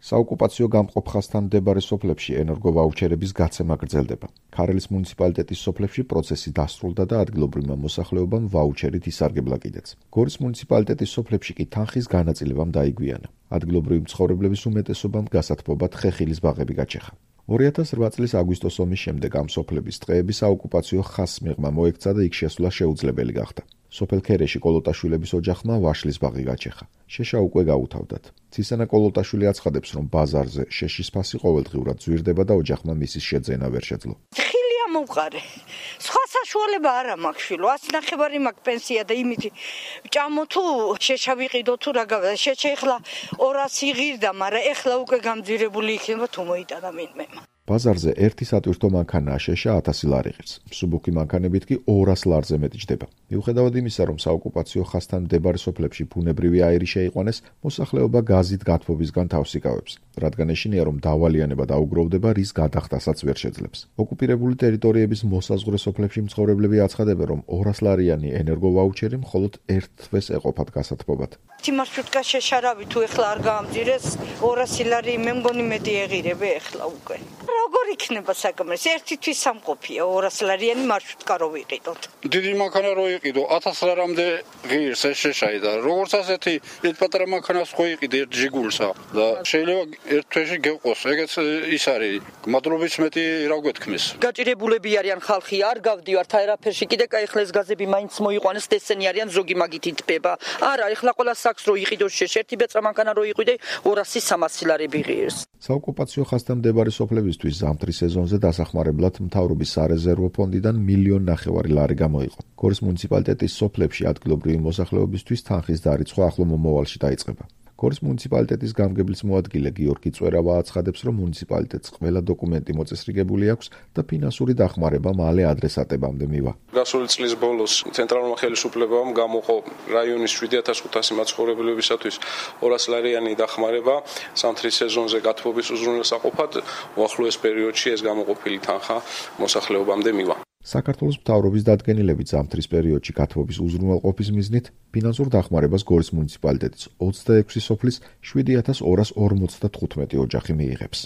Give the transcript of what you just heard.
საოკუპაციო გამყოფ ხაზთან მდებარე სოფლებში ენერგოვაუჩერების გაცემა გრძელდება. ქარელის მუნიციპალიტეტის სოფლებში პროცესი დასრულდა და ადგილობრივმა მოსახლეობამ ვაუჩერით ისარგებლა კიდეც. გორის მუნიციპალიტეტის სოფლებში კი თანხის განაწილებამ დაიგვიანა. ადგილობრივი მცხოვრებლების უმეტესობამ გასათბობად ხეხილის ბაღები გაჩეხა. 2008 წლის აგვისტოს ომის შემდეგ ამ სოფლების ტყეები საოკუპაციო ხაზს მიღმა მოექცა და იქ შესვლა შეუძლებელი გახდა. სოფელ ქერეში კოლოტაშვილების ოჯახმა ვაშლის ბაღი გაჩეხა. შეშა უკვე გაუთავდათ. ცისანა კოლოტაშვილი აცხადებს, რომ ბაზარზე შეშის ფასი ყოველდღიურად ზვირდება და ოჯახმა მისის შეძენა ვერ შეძლო. მომყარე. სხვა საშუალება არა მაქვს შვილო, 100 მაქვს პენსია და იმითი ჭამო თუ შეშა ვიყიდო თუ რა გავდა. შეშა ეხლა 200 იღირდა, მაგრამ ეხლა უკვე გამძირებული იქნება თუ მოიტანა მინმე. ბაზარზე ერთი სატვირთო მანქანაა შეშა 1000 ლარი ღირს. მსუბუქი მანქანებით კი 200 ლარზე მეტი ჯდება. მიუხედავად იმისა, რომ საოკუპაციო ხაზთან მდებარე სოფლებში ბუნებრივი აირი შეიყვანეს, მოსახლეობა გაზით გათბობისგან თავს იკავებს, რადგან ეშინია, რომ დავალიანება დაუგროვდება, რის გადახდასაც ვერ შეძლებს. ოკუპირებული ტერიტორიების მოსაზღვრე სოფლებში მცხოვრებლები აცხადებენ, რომ 200 ლარიანი ენერგოვაუჩერი მხოლოდ ერთ თვეს ეყოფათ გასათბობად. მარშრუტკა შეშარავი თუ ეხლა არ გაამძირეს 200 ლარი მე მგონი მეტი ეღირები ეხლა უკვე. როგორ იქნება საკმარისი? ერთი თვის სამყოფია 200 ლარიანი მარშრუტკა რო ვიყიდოთ. დიდი მანქანა რო იყიდო 1000 ლარამდე ღირს ეს შეშაი და როგორც ასეთი ერთ პატარა მანქანას ხო იყიდე ერთ ჯიგულსა და შეიძლება ერთ თვეში გეყოს. ეგეც ის არის. მადლობის მეტი რა გვეთქმის. გაჭირებულები არიან ხალხი, არ გავდივართ აერაფერში, კიდე კაი ხლა ეს გაზები მაინც მოიყვანეს, ესენი არიან ზოგი მაგით იტბება. არა, ეხლა ყველა საქს რო იყიდოს ერთი ბეწა მანქანა რო იყიდე 200-300 ლარები ღირს. საოკუპაციო ხაზთან მდებარე სოფლებისთვის ზამთრის სეზონზე დასახმარებლად მთავრობის სარეზერვო ფონდიდან 1,5 ლარი გამოიყო. გორის მუნიციპალიტეტის სოფლებში ადგილობრივი მოსახლეობისთვის თანხის დარიცხვა ახლო მომავალში დაიწყება. გორის მუნიციპალიტეტის გამგებლის მოადგილე გიორგი წვერავა აცხადებს, რომ მუნიციპალიტეტს ყველა დოკუმენტი მოწესრიგებული აქვს და ფინანსური დახმარება მალე ადრესატებამდე მივა. გასული წლის ბოლოს ცენტრალურმა ხელისუფლებამ გამოყო რაიონის 7500 მაცხოვრებლებისათვის 200 ლარიანი დახმარება ზამთრის სეზონზე გათბობის უზრუნველსაყოფად. უახლოეს პერიოდში ეს გამოყოფილი თანხა მოსახლეობამდე მივა. საქართველოს მთავრობის დადგენილებით ზამთრის პერიოდში გათბობის უზრუნველყოფის მიზნით ფინანსურ დახმარებას გორის მუნიციპალიტეტის 26 სოფლის 7245 ოჯახი მიიღებს.